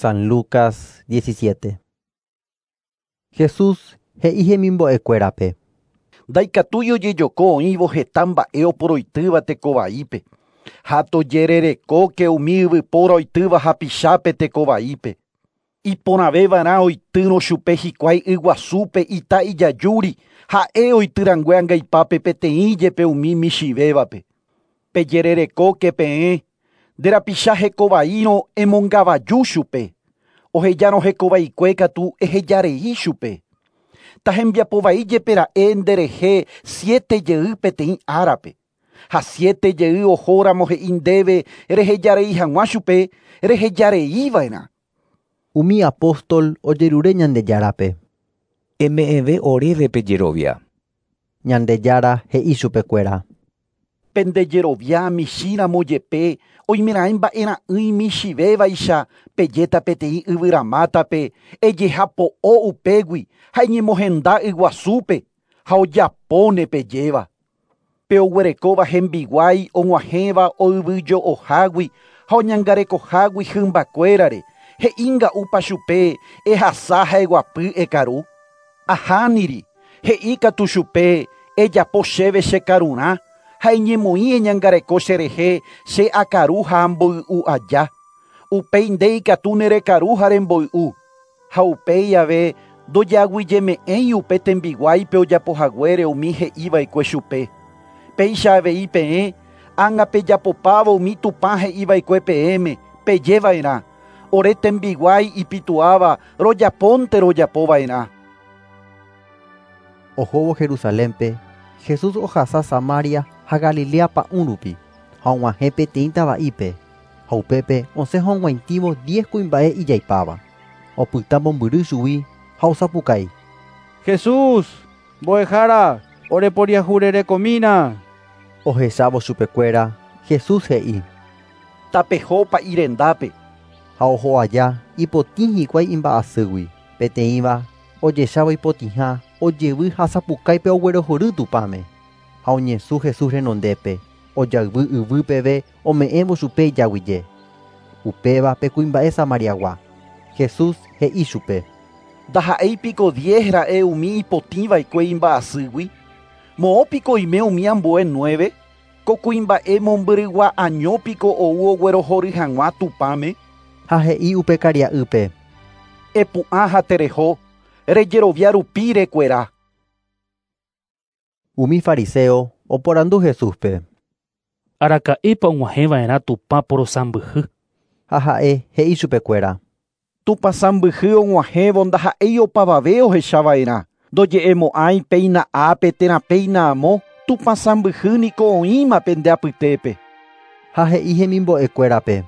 San Lucas 17. Jesús he'i hemimbo'ekuérape. Ndaikatúi ojejoko oĩvo heta mba'e oporoitýva tekovaípe. Ha tojererekóke umi yvypóra oitýva hapichápe tekovaípe. Iporãvéva'erã oitýrõ chupe hikuái yguasúpe ita ijajúri ha'e oitýrangue angaipápe peteĩ jepe umi michĩvévape. Pejererekóke peẽ nde rapicha hekovaírõ emongavaju chupe. Ohejárõ hekovaikue katu ehejarei chupe. Tahembiapovai jepe ra'e nderehe 7 jey peteĩ árape. Ha 7 jey ohóramo he'i ndéve rehejarei hag̃ua chupe rehejareiva'erã. Umi apóstol ojerure Ñandejárape. Eme'ẽve oréve pejerovia. Ñandejára he'i chupekuéra. Pendejerovia michĩramo jepe oimeraẽ mba'era'ỹi michĩvévaicha pejéta peteĩ yvyramátape ejehapo'o upégui ha eñemohenda yguasúpe ha ojapóne pejéva. Pe oguerekóva hembiguái og̃uahẽva oyvyjo'ohágui ha oñangarekohágui hymbakuérare he'ínga'úpa chupe ehasa ha eguapy ekaru. Ahániri he'íkatu chupe ejapo chéve chekarurã ha eñemoĩ eñangareko cherehe che akaru ha amboy'u aja. Upéi nde ikatu nerekaru ha remboy'u. Ha upéi ave ndojeaguyjeme'ẽi upe tembiguáipe ojapohaguére umi he'iva'ekue chupe. Péicha avei peẽ ág̃a pejapopávo umi Tupã he'iva'ekue peẽme pejeva'erã. Ore tembiguái ipituáva rojapónte rojapova'erã. Ohóvo Jerusalénpe, Jesús ohasa Samaria ha Galilea pa'ũ rupi ha og̃uahẽ peteĩ tava'ípe ha upépe osẽ hog̃uaitĩvo 10 kuimba'e ijaipáva. Opyta mombyry chugui ha osapukái. Jesús, mbo'ehára, oreporiahurerekomína. Ohechávo chupekuéra, Jesús he'i. Tapeho pa'i rendápe. Ha oho aja ipotĩ hikuái imba'asýgui. Peteĩva ojechávo ipotĩha ojevy ha sapukáipe oguerohory Tupãme. Ha oñesũ Jesús renondépe ojayvy yvy peve ome'ẽvo chupe ijaguyje. Upéva pe kuimba'e Samariagua. Jesús he'i chupe. Ndaha'éipiko 10 ra'e umi ipotĩva'ekue imba'asýgui. Moõpiko oime umi ambue 9. Ko kuimba'e mombyrygua añópiko ou oguerohory hag̃ua Tupãme. Ha he'i upe karia'ýpe. Epu'ã ha tereho, rejerovia rupi rekuera. Umi fariseo oporandu Jesúspe. Araka'épa og̃uahẽva'erã Tupã porosãmbyhy. Ha ha'e he'i chupekuéra. Tupã sãmbyhy og̃uahẽvo ndaha'éi opavave ohechava'erã. Ndoje'emo'ãi péina ápe térã péina amo Tupã sãmbyhy niko oĩma pende apytépe. Ha he'i hemimbo'ekuérape.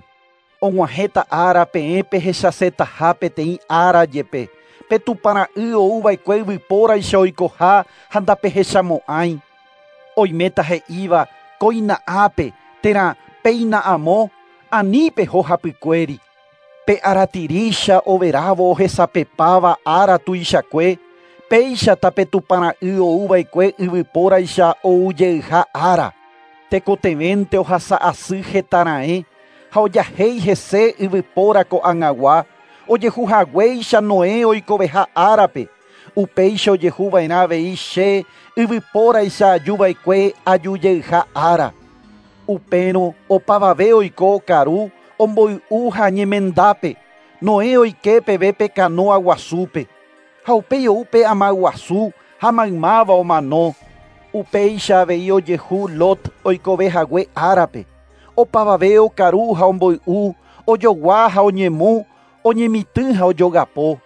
Og̃uahẽta ára peẽ pehechasetaha peteĩ ára jepe. Pe Tupãra'y ouva'ekue yvypóraicha oikoha ha ndapehechamo'ãi. Oiméta he'íva kóina ápe térã péina amo ani peho hapykuéri. Pe aratirícha overávo ohesapepáva ára tuichakue péichata pe Tupãra'y ouva'ekue yvypóraicha oujeyha ára. Tekotevẽnte ohasa asy hetara'ẽ ha ojahéi hese yvypóra ko'ag̃agua ojehuhaguéicha Noé oikoveha árape. Upéicha ojehuva'erã avei che yvypóraicha ajuva'ekue ajujeyha ára. Upérõ opavave oiko okaru omboy'u ha ñemendápe Noé oike peve pe canoa guasúpe. Ha upéi ou pe ama guasu ha maymáva omano. Upéicha avei ojehu Lot oikovehague árape. Opavave okaru ha omboy'u, ojogua ha oñemu, oñemitỹ ha ojogapo.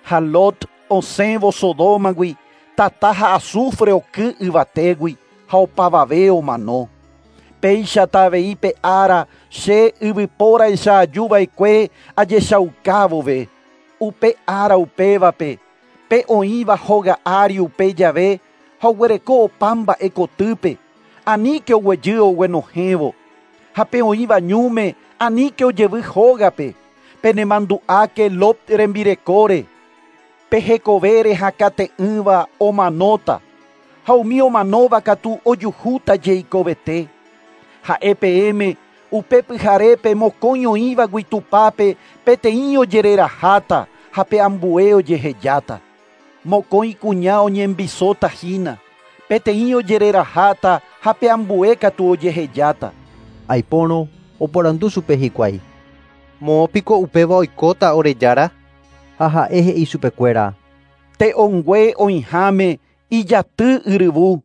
Ha Lot osẽvo Sodómagui, tata ha azufre oky yvatégui ha opavave omano. Péichata avei pe ára che yvypóraicha ajuva'ekue ajechaukávove. Upe ára upévape, pe oĩva hóga ári upe jave ha oguereko opa mba'e kotýpe, aníke oguejy oguenohẽvo. Ha pe oĩva ñúme aníke ojevy hógape. Penemandu'áke Lot rembirekóre. Pe hekovére hakate'ỹva omanóta. Ha umi omanóva katu ojuhúta jeikovete. Ha'e peẽme Upe pyharépe mokõi oĩvagui tupápe peteĩ ojereraháta ha pe ambue ojehejáta. Mokõi kuña oñembisóta hína. Peteĩ ojereraháta ha pe ambue katu ojehejáta. Aipórõ oporandu chupe hikuái. Moõpiko upéva oikóta ore Jára? Ha ha'e he'i chupekuéra. Te'õngue oĩháme ijaty yryvu.